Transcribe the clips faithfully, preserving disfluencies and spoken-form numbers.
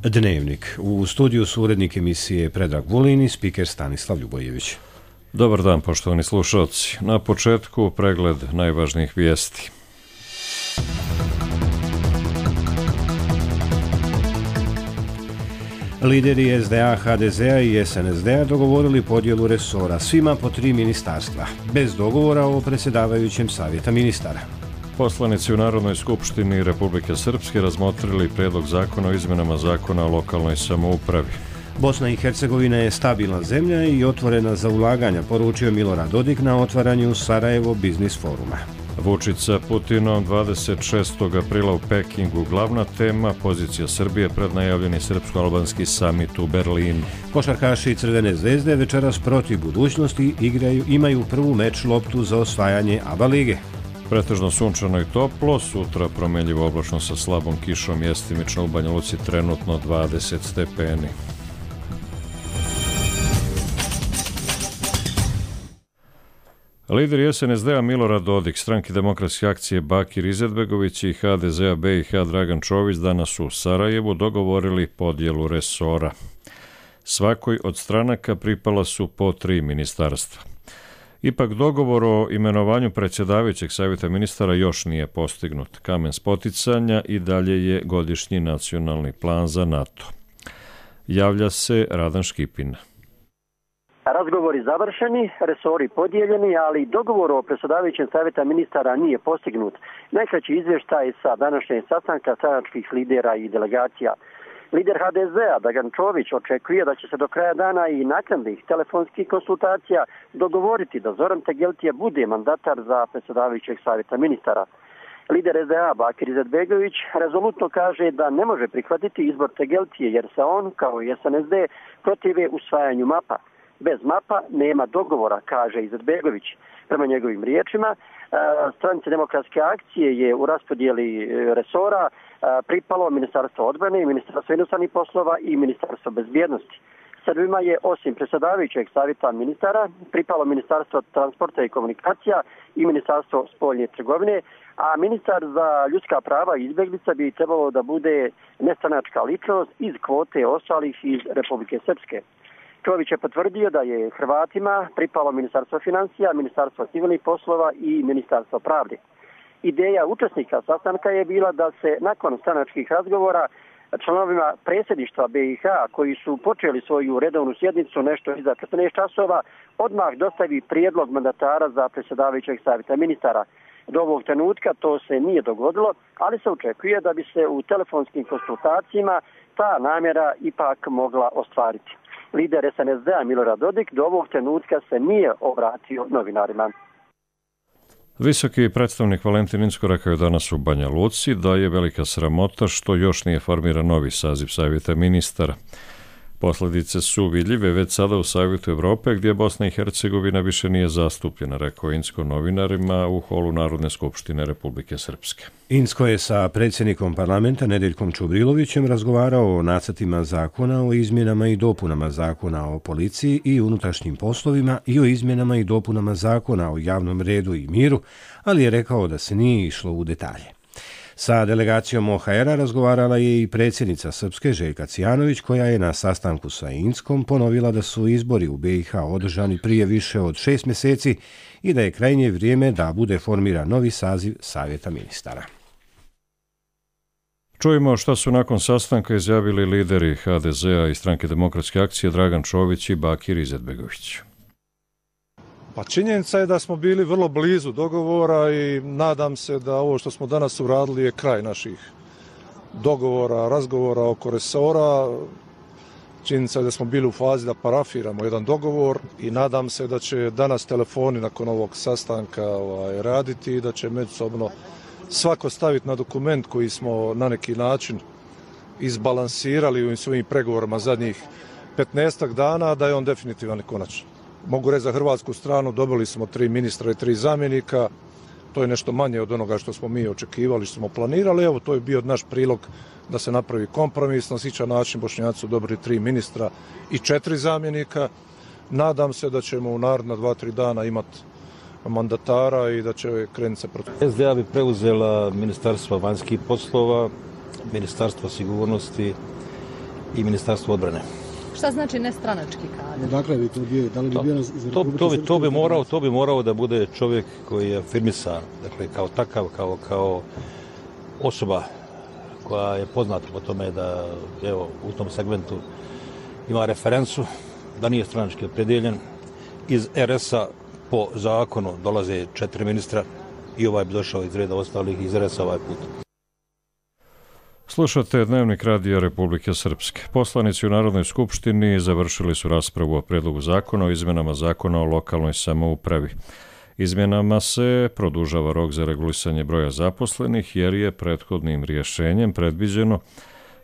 Dnevnik. U studiju su urednik emisije Predrag Vulin i spiker Stanislav Ljubojević. Dobar dan, poštovani slušalci. Na početku pregled najvažnijih vijesti. Lideri es de a, ha de ze a i es en es de a dogovorili podjelu resora, svima po tri ministarstva, bez dogovora o predsjedavajućem savjeta ministara. Poslanici u Narodnoj skupštini Republike Srpske razmotrili prijedlog zakona o izmjenama zakona o lokalnoj samoupravi. Bosna i Hercegovina je stabilna zemlja i otvorena za ulaganja, poručio Milorad Dodik na otvaranju Sarajevo biznis foruma. Vučić sa Putinom dvadeset šestog aprila u Pekingu. Glavna tema pozicija Srbije pred najavljeni srpsko-albanski samit u Berlinu. Košarkaši Crvene zvezde večeras protiv budućnosti igraju, imaju prvu meč loptu za osvajanje A B A lige. Pretežno sunčano i toplo, sutra promjenjivo oblačno sa slabom kišom, jestimično u Banja Luci trenutno dvadeset stepeni. Lideri es en es de a Milorad Dodik, Stranke demokratske akcije Bakir Izetbegović i ha de ze a be i ha Dragan Čović danas u Sarajevu dogovorili podjelu resora. Svakoj od stranaka pripala su po tri ministarstva. Ipak dogovor o imenovanju predsjedavajućeg savjeta ministara još nije postignut. Kamen spoticanja i dalje je godišnji nacionalni plan za NATO. Javlja se Radan Škipin. Razgovori završeni, resori podijeljeni, ali dogovor o predsjedavajućem savjeta ministara nije postignut. Najkraći izvještaj sa današnjeg sastanka stranačkih lidera i delegacija. Lider ha de ze a Dragan Čović očekuje da će se do kraja dana i naknadnih telefonskih konsultacija dogovoriti da Zoran Tegeltije bude mandatar za predsjedavajućeg savjeta ministara. Lider es de a Bakir Izetbegović rezolutno kaže da ne može prihvatiti izbor Tegeltije jer se on, kao i es en es de, protive usvajanju mapa. Bez mapa nema dogovora, kaže Izetbegović. Prema njegovim riječima, Stranice demokratske akcije je u raspodijeli resora pripalo Ministarstvo odbrane, Ministarstvo inostranih poslova i Ministarstvo bezbjednosti. Srbima je osim predsjedavajućeg savjeta ministara pripalo Ministarstvo transporta i komunikacija i Ministarstvo spoljne trgovine, a ministar za ljudska prava i izbjeglica bi trebalo da bude nestranačka ličnost iz kvote ostalih iz Republike Srpske. Čović je potvrdio da je Hrvatima pripalo Ministarstvo financija, Ministarstvo civilnih poslova i Ministarstvo pravde. Ideja učesnika sastanka je bila da se nakon stranačkih razgovora članovima predsjedništva be i ha koji su počeli svoju redovnu sjednicu nešto iza četrnaest časova odmah dostavi prijedlog mandatara za predsjedavajućeg savjeta ministara. Do ovog trenutka to se nije dogodilo, ali se očekuje da bi se u telefonskim konsultacijama ta namjera ipak mogla ostvariti. Lider es en es de a Milorad Dodik do ovog trenutka se nije obratio novinarima. Visoki predstavnik Valentin Incko rekao je danas u Banja Luci da je velika sramota što još nije formiran novi saziv savjeta ministara. Posljedice su vidljive već sada u Savjetu Evrope gdje Bosna i Hercegovina više nije zastupljena, rekao Incko novinarima u holu Narodne skupštine Republike Srpske. Incko je sa predsjednikom parlamenta Nedeljkom Čubrilovićem razgovarao o nacrtima zakona o izmjenama i dopunama zakona o policiji i unutrašnjim poslovima i o izmjenama i dopunama zakona o javnom redu i miru, ali je rekao da se nije išlo u detalje. Sa delegacijom o ha era razgovarala je i predsjednica Srpske Željka Cijanović, koja je na sastanku sa Inckom ponovila da su izbori u be i ha održani prije više od šest mjeseci i da je krajnje vrijeme da bude formiran novi saziv savjeta ministara. Čujemo šta su nakon sastanka izjavili lideri ha de ze a i Stranke demokratske akcije Dragan Čović i Bakir Izetbegović. Pa činjenica je da smo bili vrlo blizu dogovora i nadam se da ovo što smo danas uradili je kraj naših dogovora, razgovora oko resora. Činjenica je da smo bili u fazi da parafiramo jedan dogovor i nadam se da će danas telefoni nakon ovog sastanka ovaj, raditi i da će međusobno svako staviti na dokument koji smo na neki način izbalansirali u svojim pregovorima zadnjih petnaestak dana, da je on definitivan i konačan. Mogu reći za hrvatsku stranu, dobili smo tri ministra i tri zamjenika, to je nešto manje od onoga što smo mi očekivali, što smo planirali, evo to je bio naš prilog da se napravi kompromis, na sličan način Bošnjaci su dobili tri ministra i četiri zamjenika. Nadam se da ćemo u naredna dva, tri dana imati mandatara i da će krenuti se protiv. es de a bi preuzela Ministarstvo vanjskih poslova, Ministarstvo sigurnosti i Ministarstvo odbrane. Šta znači nestranački kadar? Dakle, bi to bio, da li bi to, bio iz to, to, bi, to, bi morao, to bi morao da bude čovjek koji je afirmisan, dakle, kao takav, kao, kao osoba koja je poznata po tome da, evo, u tom segmentu ima referencu, da nije stranački opredjeljen. Iz er es a po zakonu dolaze četiri ministra i ovaj bi došao iz reda ostalih iz er es a ovaj put. Slušate Dnevnik radija Republike Srpske. Poslanici u Narodnoj skupštini završili su raspravu o predlogu zakona o izmjenama zakona o lokalnoj samoupravi. Izmjenama se produžava rok za regulisanje broja zaposlenih jer je prethodnim rješenjem predviđeno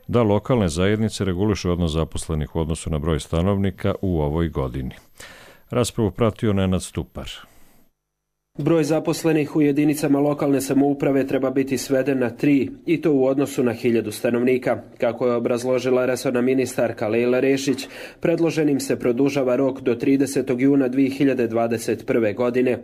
da lokalne zajednice regulišu odnos zaposlenih u odnosu na broj stanovnika u ovoj godini. Raspravu pratio Nenad Stupar. Broj zaposlenih u jedinicama lokalne samouprave treba biti sveden na tri i to u odnosu na hiljadu stanovnika. Kako je obrazložila resorna ministarka Lejla Rešić, predloženim se produžava rok do tridesetog juna dvije hiljade dvadeset prve. godine.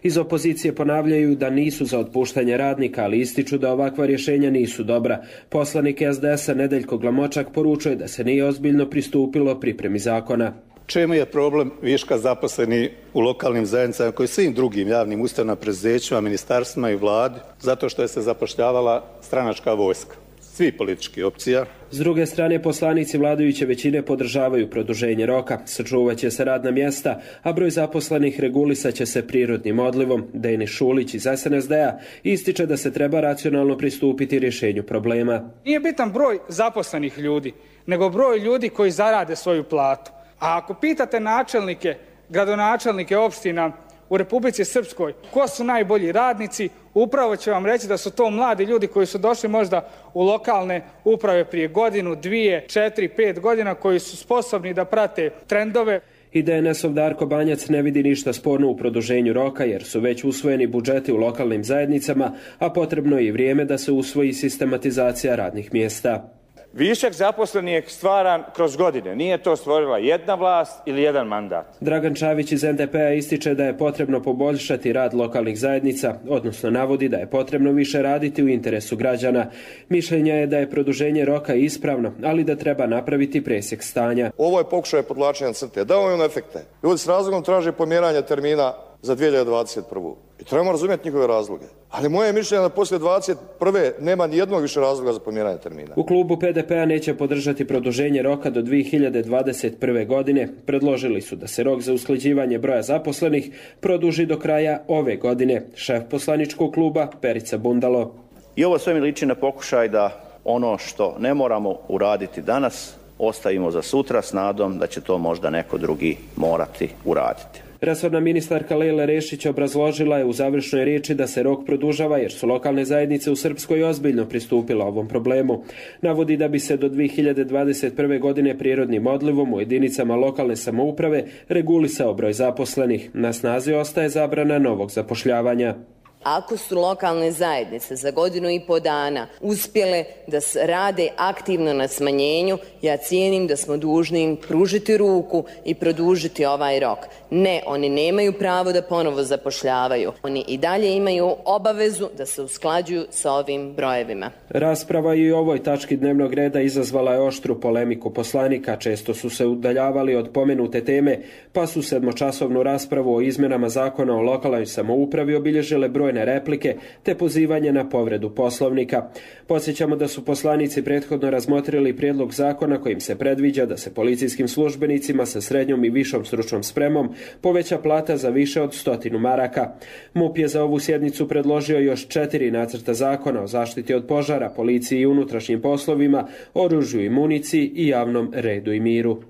Iz opozicije ponavljaju da nisu za otpuštanje radnika, ali ističu da ovakva rješenja nisu dobra. Poslanik es de es a Nedeljko Glamočak poručuje da se nije ozbiljno pristupilo pripremi zakona. Čemu je problem viška zaposleni u lokalnim zajednicama koji svim drugim javnim ustanovama, preduzećima, ministarstvima i vladi, zato što je se zapošljavala stranačka vojska, svi politički opcija. S druge strane, poslanici vladajuće većine podržavaju produženje roka, sačuvaće se radna mjesta, a broj zaposlenih regulisaće se prirodnim odlivom. Denis Šulić iz es en es de a ističe da se treba racionalno pristupiti rješenju problema. Nije bitan broj zaposlenih ljudi, nego broj ljudi koji zarade svoju platu. A ako pitate načelnike, gradonačelnike opština u Republici Srpskoj ko su najbolji radnici, upravo će vam reći da su to mladi ljudi koji su došli možda u lokalne uprave prije godinu, dvije, četiri, pet godina, koji su sposobni da prate trendove. I de en esov Darko Banjac ne vidi ništa sporno u produženju roka jer su već usvojeni budžeti u lokalnim zajednicama, a potrebno je i vrijeme da se usvoji sistematizacija radnih mjesta. Višak zaposlenih je stvaran kroz godine. Nije to stvorila jedna vlast ili jedan mandat. Dragan Čavić iz en de pe a ističe da je potrebno poboljšati rad lokalnih zajednica, odnosno navodi da je potrebno više raditi u interesu građana. Mišljenja je da je produženje roka ispravno, ali da treba napraviti presjek stanja. Ovo je pokušaj podvlačenja crte. Dao je on efekte. Ljudi s razlogom traže pomjeranje termina za dvije hiljade dvadeset prvu. I trebamo razumjeti njihove razloge. Ali moje mišljenje je da poslije dvadeset prve nema ni jednog više razloga za pomjeranje termina. U klubu pe de pe a neće podržati produženje roka do dvije hiljade dvadeset prve. godine. Predložili su da se rok za usklađivanje broja zaposlenih produži do kraja ove godine. Šef poslaničkog kluba Perica Bundalo. I ovo sve mi liči na pokušaj da ono što ne moramo uraditi danas ostavimo za sutra s nadom da će to možda neko drugi morati uraditi. Resorna ministarka Lejla Rešić obrazložila je u završnoj riječi da se rok produžava jer su lokalne zajednice u Srpskoj ozbiljno pristupile ovom problemu. Navodi da bi se do dvije hiljade dvadeset prve. godine prirodnim odlivom u jedinicama lokalne samouprave regulisao broj zaposlenih. Na snazi ostaje zabrana novog zapošljavanja. Ako su lokalne zajednice za godinu i po dana uspjele da rade aktivno na smanjenju, ja cijenim da smo dužni im pružiti ruku i produžiti ovaj rok. Ne, oni nemaju pravo da ponovo zapošljavaju. Oni i dalje imaju obavezu da se usklađuju sa ovim brojevima. Rasprava i u ovoj tački dnevnog reda izazvala je oštru polemiku poslanika. Često su se udaljavali od pomenute teme, pa su sedmočasovnu raspravu o izmjenama zakona o lokalnoj samoupravi obilježile broj replike te pozivanje na povredu Poslovnika. Podsjećamo da su poslanici prethodno razmotrili prijedlog zakona kojim se predviđa da se policijskim službenicima sa srednjom i višom stručnom spremom poveća plata za više od stotinu maraka. MUP je za ovu sjednicu predložio još četiri nacrta zakona o zaštiti od požara, policiji i unutrašnjim poslovima, oružju i municiji i javnom redu i miru.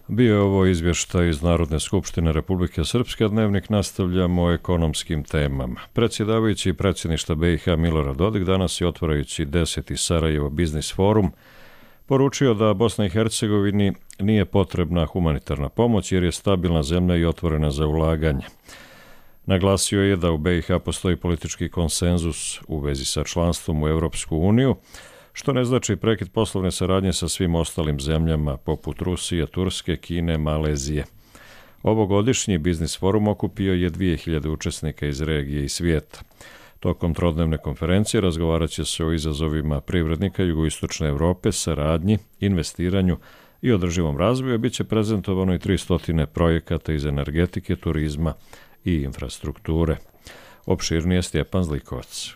Bio je ovo izvještaj iz Narodne skupštine Republike Srpske, a Dnevnik nastavljamo o ekonomskim temama. Predsjedavajući predsjedništva be i ha Milorad Dodik danas je otvarajući deseti Sarajevo biznis forum poručio da Bosna i Hercegovini nije potrebna humanitarna pomoć jer je stabilna zemlja i otvorena za ulaganje. Naglasio je da u be i ha postoji politički konsenzus u vezi sa članstvom u Europsku uniju, što ne znači prekid poslovne saradnje sa svim ostalim zemljama poput Rusije, Turske, Kine, Malezije. Ovogodišnji biznis forum okupio je dvije hiljade učesnika iz regije i svijeta. Tokom trodnevne konferencije razgovarat će se o izazovima privrednika jugoistočne Evrope, saradnji, investiranju i održivom razvoju, a bit će prezentovano i tristo projekata iz energetike, turizma i infrastrukture. Opširnije Stjepan Zlikovac.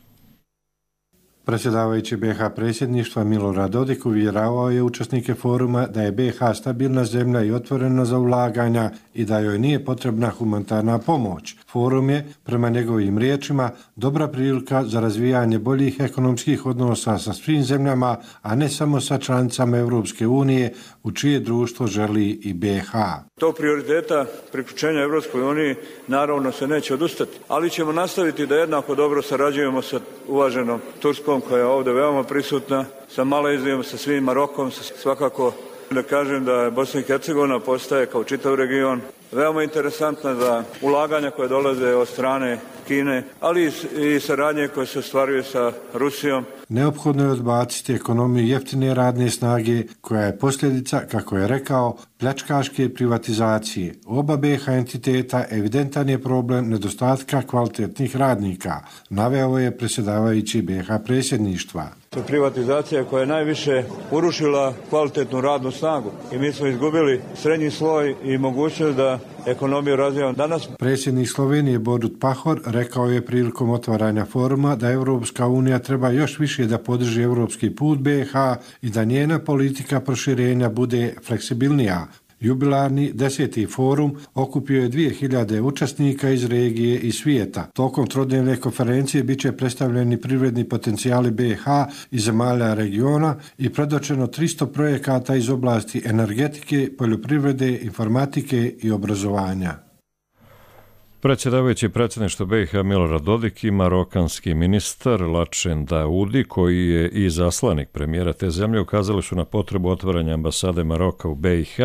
Predsjedavajući B H predsjedništva Milorad Dodik uvjeravao je učesnike foruma da je B H stabilna zemlja i otvorena za ulaganja i da joj nije potrebna humanitarna pomoć. Forum je, prema njegovim riječima, dobra prilika za razvijanje boljih ekonomskih odnosa sa svim zemljama, a ne samo sa članicama Europske unije, u čije društvo želi i B H. To prioriteta priključenja Europskoj uniji naravno se neće odustati, ali ćemo nastaviti da jednako dobro sarađujemo sa uvaženom Turskom, koja je ovdje veoma prisutna, sa Malezijom, sa svim Marokom, sa svakako da kažem da je Bosna i Hercegovina postaje kao čitav region veoma interesantna za ulaganja koje dolaze od strane Kine, ali i saradnje koje se ostvaruju sa Rusijom. Neophodno je odbaciti ekonomiju jeftine radne snage, koja je posljedica, kako je rekao, pljačkaške privatizacije. Oba B H entiteta evidentan je problem nedostatka kvalitetnih radnika, naveo je predsjedavajući B H predsjedništva. To je privatizacija koja je najviše urušila kvalitetnu radnu snagu i mi smo izgubili srednji sloj i mogućnost da ekonomiju razvijamo danas. Predsjednik Slovenije Borut Pahor rekao je prilikom otvaranja foruma da Europska unija treba još više da podrži europski put B H i da njena politika proširenja bude fleksibilnija. Jubilarni deseti forum okupio je dvije hiljade učesnika iz regije i svijeta. Tokom trodnevne konferencije bit će predstavljeni privredni potencijali B H i zemalja regiona i predočeno tristo projekata iz oblasti energetike, poljoprivrede, informatike i obrazovanja. Predsjedavajući predsjedništva B iH Milorad Dodik i marokanski ministar Lačen Daudi, koji je i zaslanik premijera te zemlje, ukazali su na potrebu otvaranja ambasade Maroka u B iH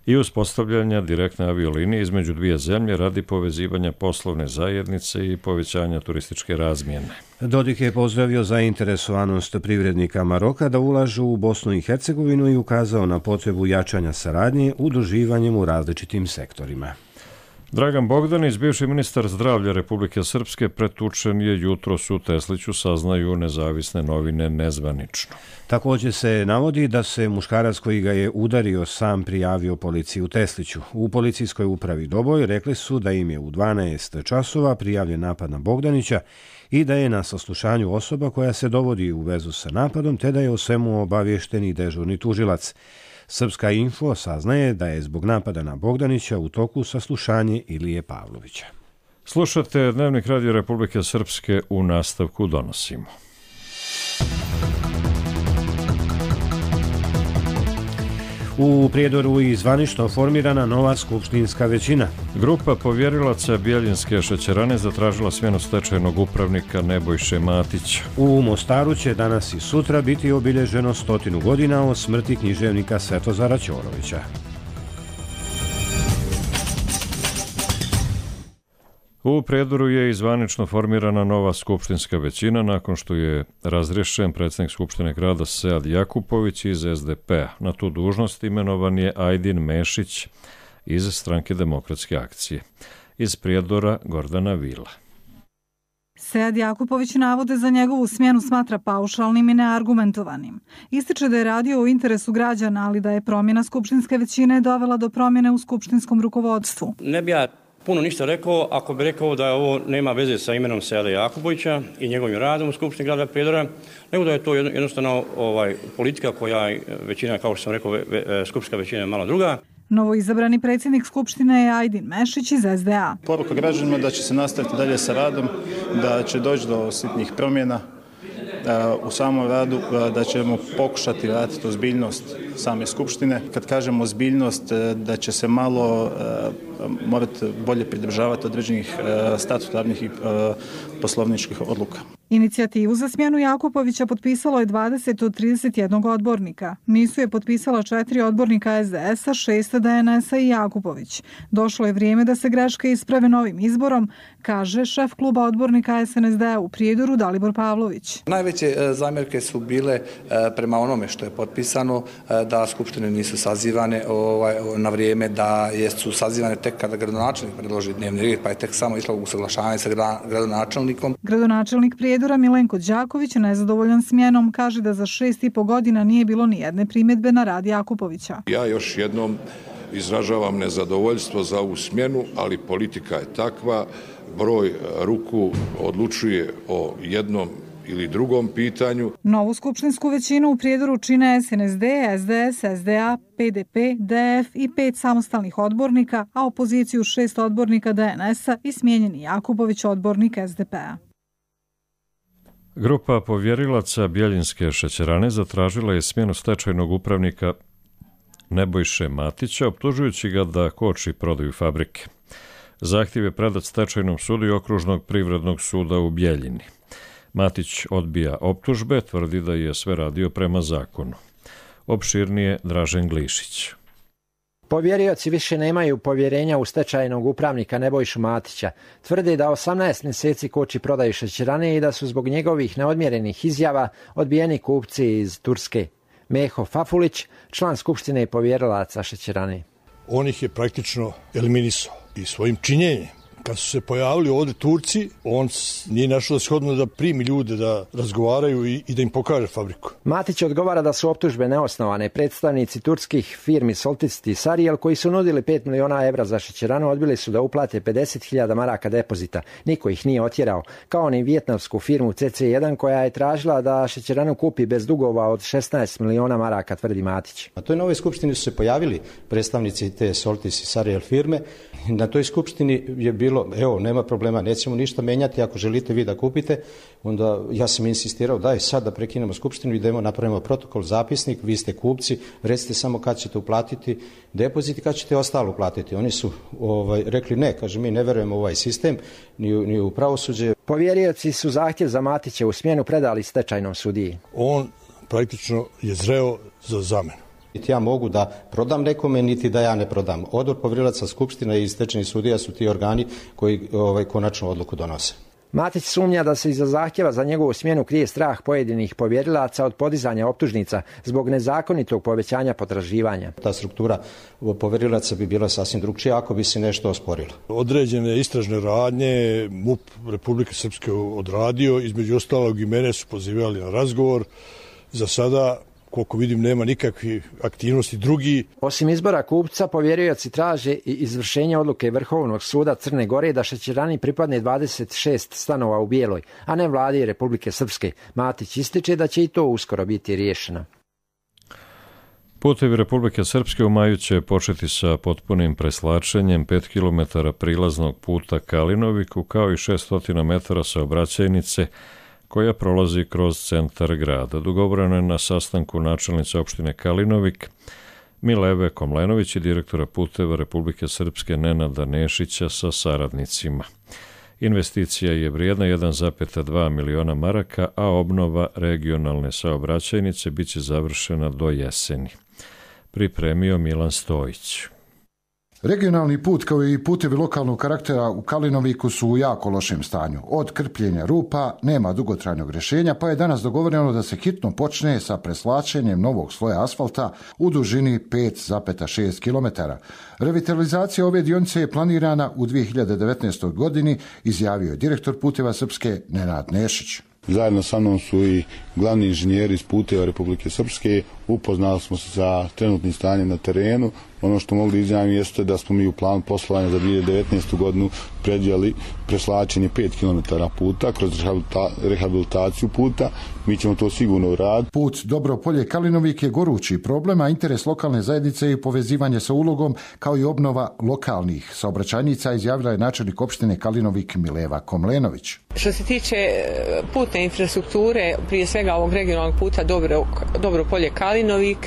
i uspostavljanja direktne aviolinije između dvije zemlje radi povezivanja poslovne zajednice i povećanja turističke razmjene. Dodik je pozdravio zainteresovanost privrednika Maroka da ulažu u Bosnu i Hercegovinu i ukazao na potrebu jačanja saradnje udruživanjem u različitim sektorima. Dragan Bogdanić, bivši ministar zdravlja Republike Srpske, pretučen je jutros u Tesliću, saznaju nezavisne novine nezvanično. Također se navodi da se muškarac koji ga je udario sam prijavio policiji u Tesliću. U policijskoj upravi Doboj rekli su da im je u dvanaest časova prijavljen napad na Bogdanića i da je na saslušanju osoba koja se dovodi u vezu sa napadom, te da je o svemu obaviješten i dežurni tužilac. Srpska info saznaje da je zbog napada na Bogdanića u toku saslušanje Ilije Pavlovića. Slušate Dnevnik Radio Republike Srpske, u nastavku donosimo. U Prijedoru je zvanično formirana nova skupštinska većina. Grupa povjerilaca Bjeljinske šećerane zatražila smjenu stečajnog upravnika Nebojše Matića. U Mostaru će danas i sutra biti obilježeno stotinu godina od smrti književnika Svetozara Ćorovića. U Prijedoru je i zvanično formirana nova skupštinska većina nakon što je razriješen predsjednik Skupštine grada Sead Jakupović iz S D P-a. Na tu dužnost imenovan je Ajdin Mešić iz Stranke demokratske akcije. Iz Prijedora Gordana Vila. Sead Jakupović navode za njegovu smjenu smatra paušalnim i neargumentovanim. Ističe da je radio u interesu građana, ali da je promjena skupštinske većine dovela do promjene u skupštinskom rukovodstvu. Ne bi ja puno ništa rekao ako bi rekao da ovo nema veze sa imenom Seada Jakupovića i njegovim radom u Skupštini grada Prijedora, nego da je to jednostavno ovaj, politika koja većina, kao što sam rekao, skupštinska većina je malo druga. Novo izabrani predsjednik Skupštine je Ajdin Mešić iz S D A. Poruka građanima da će se nastaviti dalje sa radom, da će doći do sitnih promjena u samom radu, da ćemo pokušati vratiti ozbiljnost same Skupštine. Kad kažemo ozbiljnost, da će se malo morati bolje pridržavati određenih statutarnih i poslovničkih odluka. Inicijativu za smjenu Jakupovića potpisalo je dvadeset od trideset jedan odbornika. Nisu je potpisala četiri odbornika S D S-a, šest D N S-a i Jakupović. Došlo je vrijeme da se greške isprave novim izborom, kaže šef kluba odbornika S N S D-a u Prijedoru Dalibor Pavlović. Najveće zamjerke su bile prema onome što je potpisano, da skupštine nisu sazivane na vrijeme, da su sazivane tek kada gradonačelnik predloži dnevni red, pa je tek samo išlo usaglašavanje sa gradonačelnikom. Gradonačelnik Prijedora Milenko Đaković, nezadovoljan smjenom, kaže da za šest i po godina nije bilo ni jedne primjedbe na rad Jakupovića. Ja još jednom izražavam nezadovoljstvo za ovu smjenu, ali politika je takva, broj ruku odlučuje o jednom ili drugom pitanju. Novu skupštinsku većinu u Prijedoru čine S N S D, S D S, S D A, P D P, D F i pet samostalnih odbornika, a opoziciju šest odbornika D N S-a i smijenjeni Jakupović odbornik S D P-a. Grupa povjerilaca Bjeljinske šećerane zatražila je smjenu stečajnog upravnika Nebojše Matića, optužujući ga da koči prodaju fabrike. Zahtjev je predat stečajnom sudu i okružnog privrednog suda u Bjeljini. Matić odbija optužbe, tvrdi da je sve radio prema zakonu. Opširnije Dražen Glišić. Povjerioci više nemaju povjerenja u stečajnog upravnika Nebojšu Matića. Tvrde da osamnaest mjeseci koči prodaju šećerane i da su zbog njegovih neodmjerenih izjava odbijeni kupci iz Turske. Meho Fafulić, član skupštine i povjerilaca šećerane. On ih je praktično eliminisao i svojim činjenjem. Kad su se pojavili ovdje Turci, on nije našao shodno da primi ljude da razgovaraju i, i da im pokaže fabriku. Matić odgovara da su optužbe neosnovane. Predstavnici turskih firmi Soltist i Sarijel, koji su nudili pet miliona evra za šećeranu, odbili su da uplate pedeset hiljada maraka depozita. Niko ih nije otjerao. Kao ni vijetnamsku firmu C C jedan, koja je tražila da šećeranu kupi bez dugova od šesnaest miliona maraka, tvrdi Matić. Na toj novoj skupštini su se pojavili predstavnici te Soltist i Sarijel firme. Na toj skupštini je bilo, evo, nema problema, nećemo ništa menjati, ako želite vi da kupite, onda ja sam insistirao, daj sad da prekinemo skupštinu i da idemo napravimo protokol, zapisnik, vi ste kupci, recite samo kad ćete uplatiti depozit i kad ćete ostalo uplatiti. Oni su ovaj, rekli ne, kaže, mi ne verujemo u ovaj sistem, ni u, ni u pravosuđe. Povjerioci su zahtjev za Matića u smjenu predali stečajnom sudiji. On praktično je zreo za zamenu. Niti ja mogu da prodam nekome, niti da ja ne prodam. Odbor povjerilaca, skupština i stečajni sudija su ti organi koji ovaj, konačnu odluku donose. Matić sumnja da se iza zahtjeva za njegovu smjenu krije strah pojedinih povjerilaca od podizanja optužnica zbog nezakonitog povećanja potraživanja. Ta struktura povjerilaca bi bila sasvim drugčija ako bi se nešto osporilo. Određene istražne radnje M U P Republike Srpske odradio, između ostalog i mene su pozivali na razgovor. Za sada, koliko vidim, nema nikakvih aktivnosti drugi. Osim izbora kupca, povjerioci traže i izvršenje odluke Vrhovnog suda Crne Gore da šećerani pripadne dvadeset šest stanova u Bijeloj, a ne vladi Republike Srpske. Matić ističe da će i to uskoro biti riješeno. Putevi Republike Srpske u maju će početi sa potpunim preslačenjem pet kilometara prilaznog puta Kalinoviku, kao i šesnaest metara saobraćajnice koja prolazi kroz centar grada. Dogovoreno je na sastanku načelnice opštine Kalinovik Mileve Komlenović i direktora puteva Republike Srpske Nenada Nešića sa saradnicima. Investicija je vrijedna jedan zarez dva miliona maraka, a obnova regionalne saobraćajnice biće završena do jeseni. Pripremio Milan Stojić. Regionalni put kao i putevi lokalnog karaktera u Kalinoviku su u jako lošem stanju. Od krpljenja rupa nema dugotrajnog rješenja, pa je danas dogovoreno da se hitno počne sa preslačenjem novog sloja asfalta u dužini pet zarez šest kilometara. Revitalizacija ove dionice je planirana u dvije hiljade devetnaestoj godini, izjavio je direktor puteva Srpske Nenad Nešić. Zajedno sa mnom su i glavni inženjeri iz puteva Republike Srpske. Upoznali smo se sa trenutnim stanjem na terenu. Ono što mogu da izjavim jeste da smo mi u planu poslovanja za dvije hiljade devetnaestu godinu predvidjeli preslačenje pet kilometara puta kroz rehabilitaciju puta. Mi ćemo to sigurno uraditi. Put Dobro Polje Kalinovik je gorući problem, a interes lokalne zajednice i povezivanje sa ulogom kao i obnova lokalnih saobraćajnica, izjavila je načelnik opštine Kalinovik Mileva Komlenović. Što se tiče puteva putne infrastrukture, prije svega ovog regionalnog puta Dobro, Dobro Polje Kalinovik.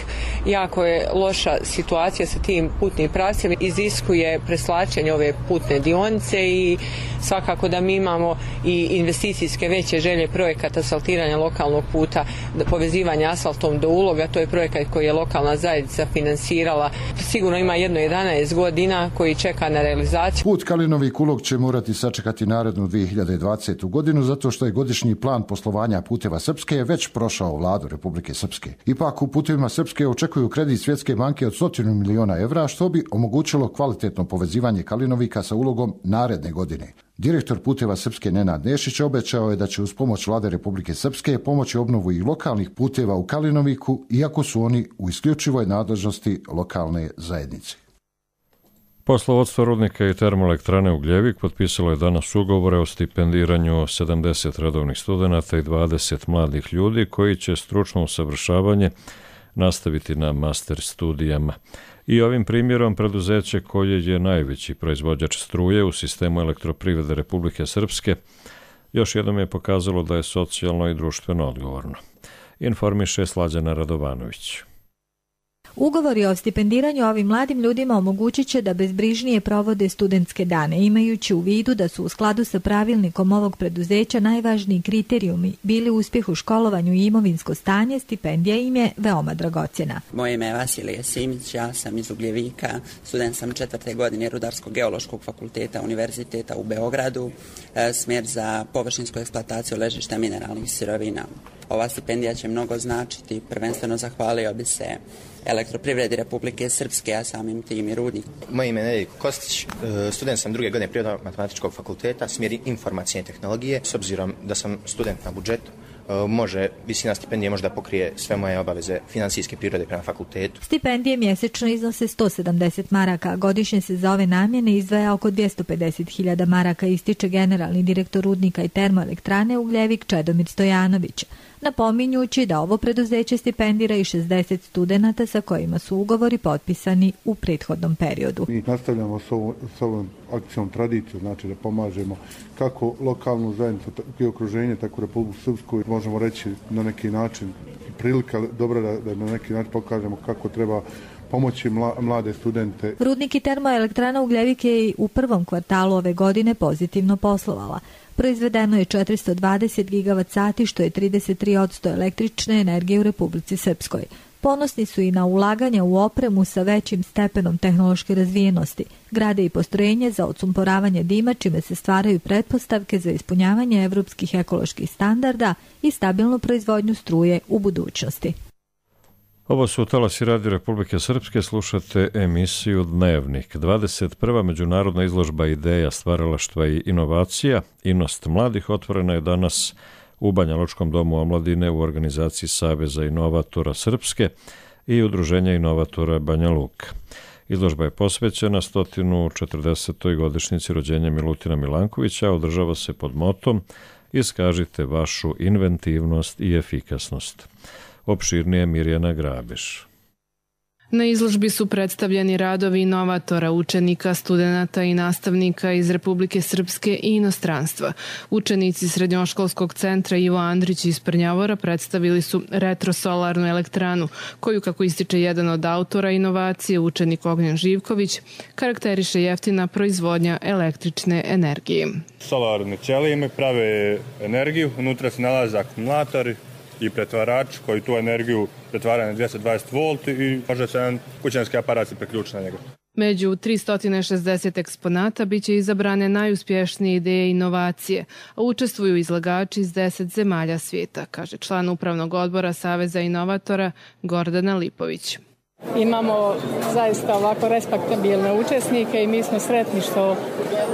Jako je loša situacija sa tim putnim pravcem, iziskuje preslačenje ove putne dionice i svakako da mi imamo i investicijske veće želje projekata asfaltiranja lokalnog puta, povezivanja asfaltom do Uloga. To je projekat koji je lokalna zajednica finansirala. Sigurno ima jedno jedanaest godina koji čeka na realizaciju. Put Kalinovik Ulog će morati sačekati narednu dvije hiljade dvadesetu godinu zato što je godišnji plan poslovanja puteva Srpske već prošao vladu Republike Srpske. Ipak u putevima Srpske očekuju kredit Svjetske banke od stotinu miliona evra što bi omogućilo kvalitetno povezivanje Kalinovika sa Ulogom naredne godine. Direktor puteva Srpske Nenad Nešić obećao je da će uz pomoć vlade Republike Srpske pomoći obnovu i lokalnih puteva u Kalinoviku, iako su oni u isključivoj nadležnosti lokalne zajednice. Poslovodstvo rudnika i termoelektrane Ugljevik potpisalo je danas ugovore o stipendiranju sedamdeset redovnih studenata i dvadeset mladih ljudi koji će stručno usavršavanje nastaviti na master studijama. I ovim primjerom preduzeće koje je najveći proizvođač struje u sistemu elektroprivrede Republike Srpske još jednom je pokazalo da je socijalno i društveno odgovorno. Informiše Slađana Radovanović. Ugovori o stipendiranju ovim mladim ljudima omogućit će da bezbrižnije provode studentske dane, imajući u vidu da su u skladu sa pravilnikom ovog preduzeća najvažniji kriterijumi bili uspjeh u školovanju i imovinsko stanje, stipendija im je veoma dragocjena. Moje ime je Vasilije Simić, ja sam iz Ugljevika, student sam četvrte godine Rudarsko-geološkog fakulteta Univerziteta u Beogradu, smjer za površinsku eksploataciju ležišta mineralnih sirovina. Ova stipendija će mnogo značiti, prvenstveno zahvalio bi se Elektroprivredi Republike Srpske, a samim tim i rudnik. Moje ime je Nedeljko Kostić, student sam druge godine Prirodno-matematičkog fakulteta, smjer informacijne tehnologije. S obzirom da sam student na budžetu, može, visina stipendije može da pokrije sve moje obaveze finansijske prirode prema fakultetu. Stipendije mjesečno iznose sto sedamdeset maraka, a godišnje se za ove namjene izdvaja oko dvjesto pedeset hiljada maraka, ističe generalni direktor rudnika i termoelektrane Ugljevik Čedomir Stojanović, napominjući da ovo preduzeće stipendira i šezdeset studenata sa kojima su ugovori potpisani u prethodnom periodu. Mi nastavljamo s ovom, s ovom akcijom tradiciju, znači da pomažemo kako lokalnu zajednicu i okruženje, tako Republiku Srpsku. Možemo reći na neki način prilika dobra da, da na neki način pokažemo kako treba pomoći mlade studente. Rudnik i termoelektrana Ugljevik je i u prvom kvartalu ove godine pozitivno poslovala. Proizvedeno je četiristo dvadeset gigavat sati, što je trideset tri posto električne energije u Republici Srpskoj. Ponosni su i na ulaganja u opremu sa većim stepenom tehnološke razvijenosti. Grade i postrojenje za odsumporavanje dima, čime se stvaraju pretpostavke za ispunjavanje evropskih ekoloških standarda i stabilnu proizvodnju struje u budućnosti. Ovo su talasi Radio Republike Srpske, slušate emisiju Dnevnik. dvadeset prva međunarodna izložba ideja, stvaralaštva i inovacija, Inost mladih, otvorena je danas u Banja Lučkom domu omladine u organizaciji Saveza inovatora Srpske i Udruženja inovatora Banja Luka. Izložba je posvećena sto četrdesetoj godišnjici rođenja Milutina Milankovića, a održava se pod motom Iskažite vašu inventivnost i efikasnost. Opširnije Mirjana Grabiš. Na izložbi su predstavljeni radovi inovatora, učenika, studenata i nastavnika iz Republike Srpske i inostranstva. Učenici Srednjoškolskog centra Ivo Andrić iz Prnjavora predstavili su retrosolarnu elektranu, koju, kako ističe jedan od autora inovacije, učenik Ognjen Živković, karakteriše jeftina proizvodnja električne energije. Solarne ćelije imaju prave energiju, unutra se nalaze akumulatori i pretvarač koji tu energiju pretvara na dvjesto dvadeset volti i može se jedan kućanski aparat se priključiti na njega. Među tristo šezdeset eksponata biće izabrane najuspješnije ideje i inovacije, a učestvuju izlagači iz deset zemalja svijeta, kaže član upravnog odbora Saveza inovatora Gordana Lipović. Imamo zaista ovako respektabilne učesnike i mi smo sretni što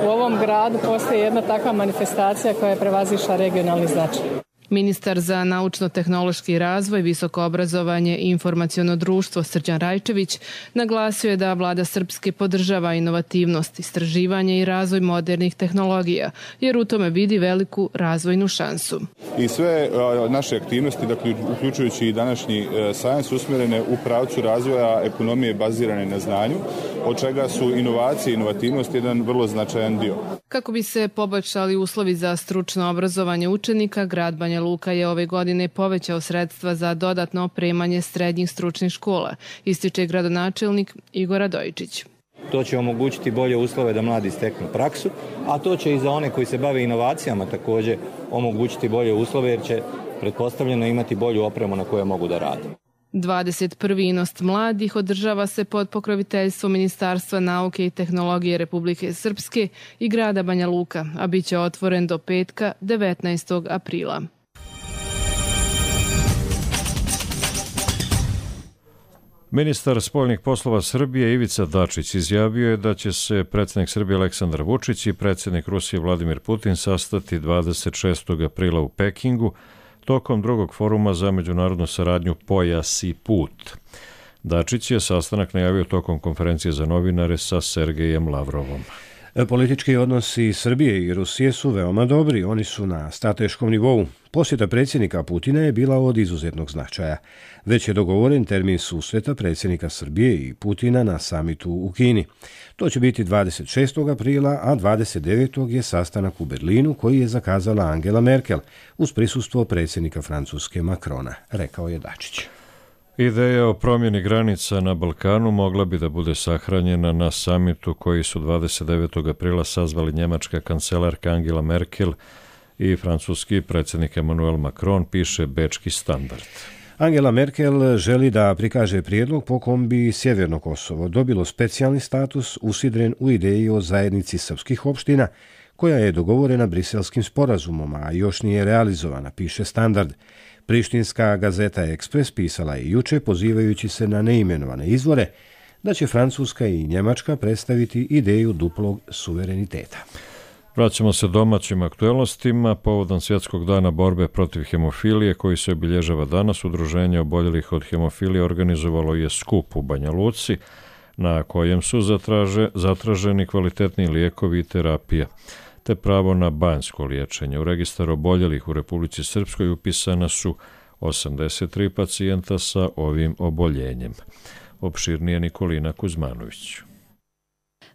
u ovom gradu postoji jedna takva manifestacija koja je prevazišla regionalni značaj. Ministar za naučno-tehnološki razvoj, visoko obrazovanje i informaciono društvo Srđan Rajčević naglasio je da vlada Srpske podržava inovativnost, istraživanje i razvoj modernih tehnologija, jer u tome vidi veliku razvojnu šansu. I sve naše aktivnosti, dakle, uključujući i današnji sajam, su usmjerene u pravcu razvoja ekonomije bazirane na znanju, od čega su inovacije i inovativnost jedan vrlo značajan dio. Kako bi se poboljšali uslovi za stručno obrazovanje učenika, grad Banja Luka je ove godine povećao sredstva za dodatno opremanje srednjih stručnih škola, ističe gradonačelnik Igor Radojičić. To će omogućiti bolje uslove da mladi steknu praksu, a to će i za one koji se bave inovacijama također omogućiti bolje uslove jer će pretpostavljeno imati bolju opremu na kojoj mogu da rade. dvadeset prvi Inost mladih održava se pod pokroviteljstvom Ministarstva nauke i tehnologije Republike Srpske i grada Banja Luka, a bit će otvoren do petka devetnaestog aprila. Ministar spoljnih poslova Srbije Ivica Dačić izjavio je da će se predsjednik Srbije Aleksandar Vučić i predsjednik Rusije Vladimir Putin sastati dvadeset šestog aprila u Pekingu tokom drugog foruma za međunarodnu saradnju Pojas i put. Dačić je sastanak najavio tokom konferencije za novinare sa Sergejem Lavrovom. Politički odnosi Srbije i Rusije su veoma dobri, oni su na strateškom nivou. Posjeta predsjednika Putina je bila od izuzetnog značaja. Već je dogovoren termin susreta predsjednika Srbije i Putina na samitu u Kini. To će biti dvadeset šestog aprila, a dvadeset devetog je sastanak u Berlinu koji je zakazala Angela Merkel uz prisustvo predsjednika Francuske Macrona, rekao je Dačić. Ideja o promjeni granica na Balkanu mogla bi da bude sahranjena na samitu koji su dvadeset devetog aprila sazvali njemačka kancelarka Angela Merkel i francuski predsjednik Emmanuel Macron, piše Bečki standard. Angela Merkel želi da prikaže prijedlog po kom bi Sjeverno Kosovo dobilo specijalni status usidren u ideji o zajednici srpskih opština, koja je dogovorena Briselskim sporazumom, a još nije realizovana, piše Standard. Prištinska gazeta Ekspres pisala je juče, pozivajući se na neimenovane izvore, da će Francuska i Njemačka predstaviti ideju duplog suvereniteta. Vraćamo se domaćim aktuelnostima. Povodom Svjetskog dana borbe protiv hemofilije, koji se obilježava danas, Udruženje oboljelih od hemofilije organizovalo je skup u Banja Luci, na kojem su zatraže, zatraženi kvalitetni lijekovi i terapija, te pravo na banjsko liječenje. U registar oboljelih u Republici Srpskoj upisana su osamdeset tri pacijenta sa ovim oboljenjem. Opširnije Nikolina Kuzmanović.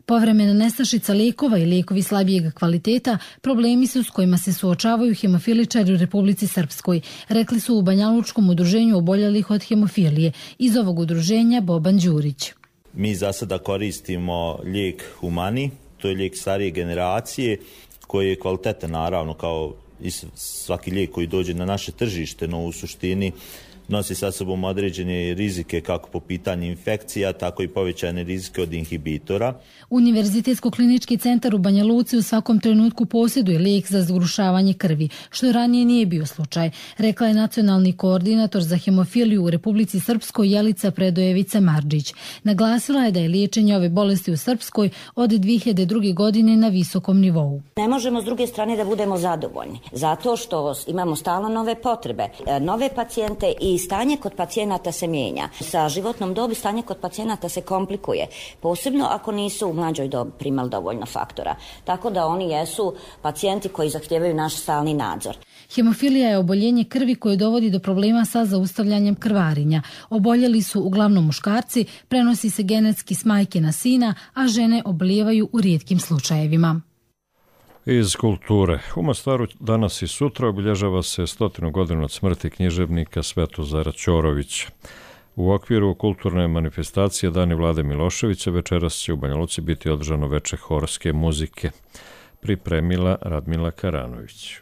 Povremena nestašica lijekova i lijekovi slabijeg kvaliteta problemi su s kojima se suočavaju hemofiličari u Republici Srpskoj, rekli su u Banjalučkom udruženju oboljelih od hemofilije. Iz ovog udruženja Boban Đurić. Mi za sada koristimo lijek Humani, to je lijek starije generacije koji je kvalitetan naravno kao i svaki lijek koji dođe na naše tržište, no u suštini nosi sa sobom određene rizike kako po pitanju infekcija, tako i povećane rizike od inhibitora. Univerzitetsko-klinički centar u Banja Luci u svakom trenutku posjeduje lijek za zgrušavanje krvi, što ranije nije bio slučaj, rekla je nacionalni koordinator za hemofiliju u Republici Srpskoj Jelica Predojevica Marđić. Naglasila je da je liječenje ove bolesti u Srpskoj od dvije hiljade druge. godine na visokom nivou. Ne možemo s druge strane da budemo zadovoljni, zato što imamo stalno nove potrebe, nove pacijente i stanje kod pacijenata se mijenja. Sa životnom dobi stanje kod pacijenata se komplikuje, posebno ako nisu u mlađoj dobi primali dovoljno faktora. Tako da oni jesu pacijenti koji zahtijevaju naš stalni nadzor. Hemofilija je oboljenje krvi koje dovodi do problema sa zaustavljanjem krvarenja. Oboljeli su uglavnom muškarci, prenosi se genetski s majke na sina, a žene obolijevaju u rijetkim slučajevima. Iz kulture. U Mostaru danas i sutra obilježava se stotinu godinu od smrti književnika Svetozara Ćorovića. U okviru kulturne manifestacije Dani Vlade Miloševića večeras će u Banja Luci biti održano veče horske muzike. Pripremila Radmila Karanović.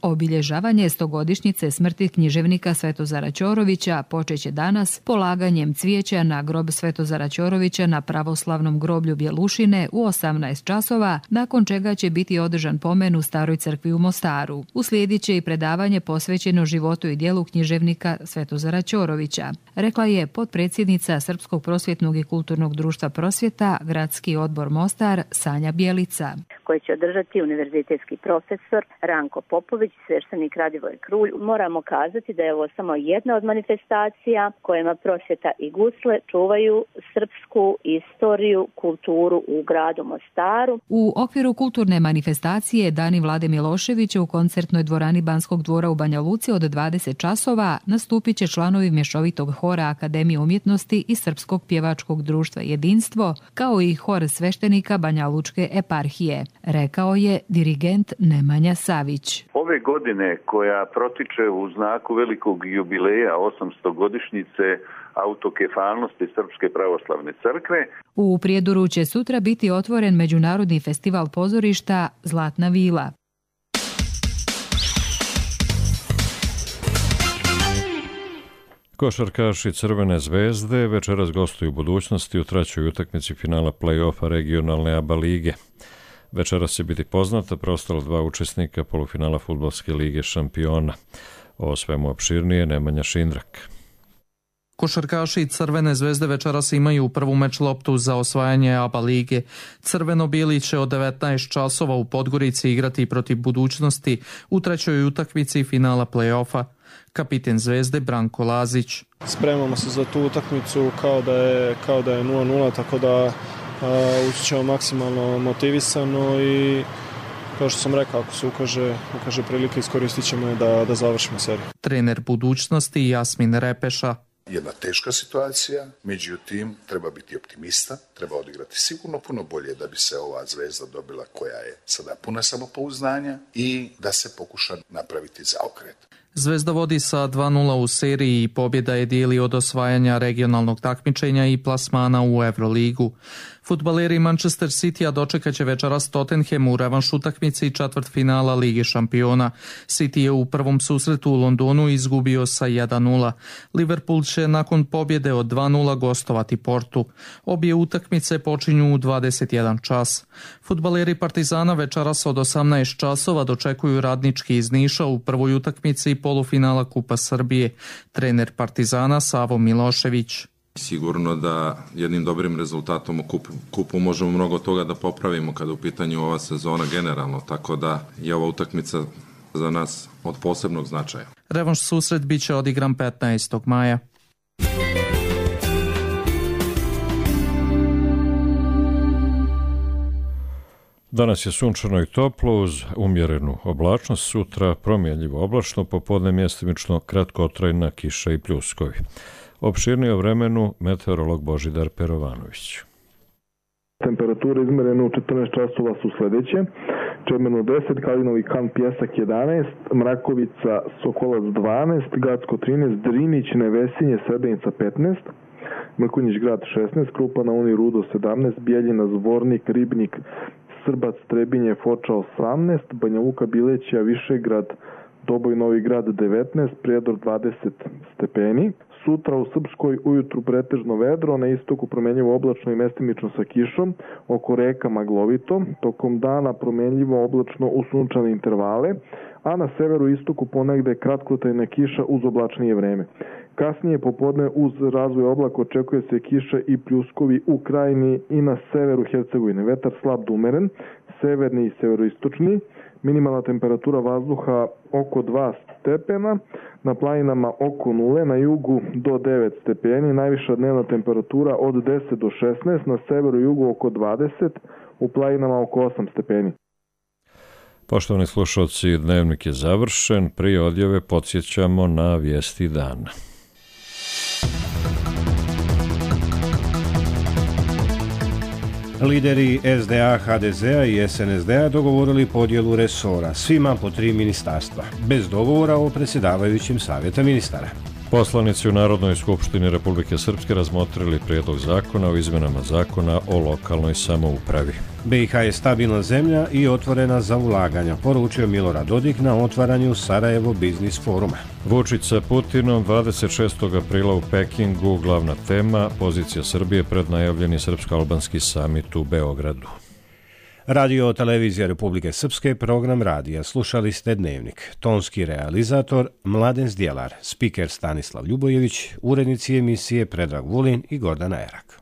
Obilježavanje stogodišnjice smrti književnika Svetozara Ćorovića počeće danas polaganjem cvijeća na grob Svetozara Ćorovića na pravoslavnom groblju Bjelušine u osamnaest časova, nakon čega će biti održan pomen u Staroj crkvi u Mostaru. Uslijedit će i predavanje posvećeno životu i djelu književnika Svetozara Ćorovića, rekla je potpredsjednica Srpskog prosvjetnog i kulturnog društva Prosvjeta, Gradski odbor Mostar, Sanja Bjelica. Koje će održati univerzitetski profesor Ranko Popović, sveštenik Radivoj Krulj. Moramo kazati da je ovo samo jedna od manifestacija kojima Prosvjeta i Gusle čuvaju srpsku istoriju, kulturu u gradu Mostaru. U okviru kulturne manifestacije Dani Vlade Miloševića u koncertnoj dvorani Banskog dvora u Banja Luci od dvadeset časova nastupit će članovi mješovitog hora Akademije umjetnosti i Srpskog pjevačkog društva Jedinstvo, kao i hor sveštenika Banja Lučke eparhije. rekao je dirigent Nemanja Savić. Ove godine koja protiče u znaku velikog jubileja osamsto godišnjice autokefalnosti Srpske pravoslavne crkve. U Prijedoru će sutra biti otvoren Međunarodni festival pozorišta Zlatna vila. Košarkaši Crvene zvezde večeras gostuju u budućnosti u trećoj utakmici finala play-offa regionalne A B A lige. Večeras će biti poznata preostala dva učesnika polufinala Fudbalske lige šampiona. O svemu opširnije Nemanja Šindrak. Košarkaši Crvene zvezde večeras imaju prvu meč loptu za osvajanje A B A lige. Crveno-bijeli će od devetnaest časova u Podgorici igrati protiv budućnosti u trećoj utakmici finala play-offa. Kapiten Zvezde Branko Lazić. Spremamo se za tu utakmicu kao da je, kao da je nula nula, tako da ući ćemo maksimalno motivisano i kao što sam rekao, ako se ukaže, ukaže prilike, iskoristit ćemo je da, da završimo seriju. Trener budućnosti Jasmin Repeša. Jedna teška situacija, međutim treba biti optimista, treba odigrati sigurno puno bolje da bi se ova Zvezda dobila koja je sada puna samopouzdanja i da se pokuša napraviti zaokret. Zvezda vodi sa dva nula u seriji i pobjeda je dijeli od osvajanja regionalnog takmičenja i plasmana u Euroligu. Fudbaleri Manchester Citya dočekat će večeras Tottenham u revanš utakmici četvrtfinala Lige šampiona. City je u prvom susretu u Londonu izgubio sa jedan nula. Liverpool će nakon pobjede od dva nula gostovati Portu. Obje utakmice počinju u dvadeset jedan čas. Fudbaleri Partizana večeras od osamnaest časova dočekuju Radnički iz Niša u prvoj utakmici polufinala Kupa Srbije. Trener Partizana Savo Milošević. Sigurno da jednim dobrim rezultatom u kupu, kupu možemo mnogo toga da popravimo kada u pitanju ova sezona generalno, tako da je ova utakmica za nas od posebnog značaja. Revanš susret bit će odigran petnaestog maja. Danas je sunčano i toplo uz umjerenu oblačnost, sutra promjenljivo oblačno, popodne mjestimično kratkotrajna kiša i pljuskovi. Opširnije o vremenu meteorolog Božidar Perovanović. Temperature izmerene u četrnaest časova su sljedeće. Čemerno deset, Kalinovi kan Pjesak jedanaest, Mrakovica Sokolac dvanaest, Gacko trinaest, Drinić Nevesinje Srebrenica petnaest, Mrkonjić grad šesnaest, Krupa na Uni Rudo sedamnaest, Bijeljina Zvornik, Ribnik, Srbac Trebinje Foča osamnaest, Banja Luka Bilećija Višegrad Doboj Novi Grad devetnaest, Prijedor dvadeset stepeni. Sutra u Srpskoj ujutru pretežno vedro, na istoku promjenjivo oblačno i mestimično sa kišom, oko reka maglovito, tokom dana promjenjivo oblačno u sunčane intervale, a na severu i istoku ponegde kratkotrajna kiša uz oblačnije vreme. Kasnije popodne uz razvoj oblaka očekuje se kiša i pljuskovi u krajini i na severu Hercegovine. Vetar slab do umeren, severni i severoistočni, minimalna temperatura vazduha oko dva stepena, na planinama oko nule, na jugu do devet stepeni, najviša dnevna temperatura od deset do šesnaest, na severu i jugu oko dvadeset, u planinama oko osam stepeni. Poštovani slušalci, dnevnik je završen. Prije odjave podsjećamo na vijesti dana. Lideri S D A, H D Z-a i S N S D-a dogovorili podjelu resora, svima po tri ministarstva, bez dogovora o predsjedavajućim savjeta ministara. Poslanici u Narodnoj skupštini Republike Srpske razmotrili prijedlog zakona o izmjenama zakona o lokalnoj samoupravi. B i H je stabilna zemlja i otvorena za ulaganja, poručio Milorad Dodik na otvaranju Sarajevo Biznis foruma. Vučić sa Putinom dvadeset šestog aprila u Pekingu, glavna tema pozicija Srbije pred najavljeni srpsko-albanski samit u Beogradu. Radio Televizija Republike Srpske, program radija. Slušali ste Dnevnik. Tonski realizator Mladen Zdjelar, spiker Stanislav Ljubojević, urednici emisije Predrag Vulin i Gordana Erak.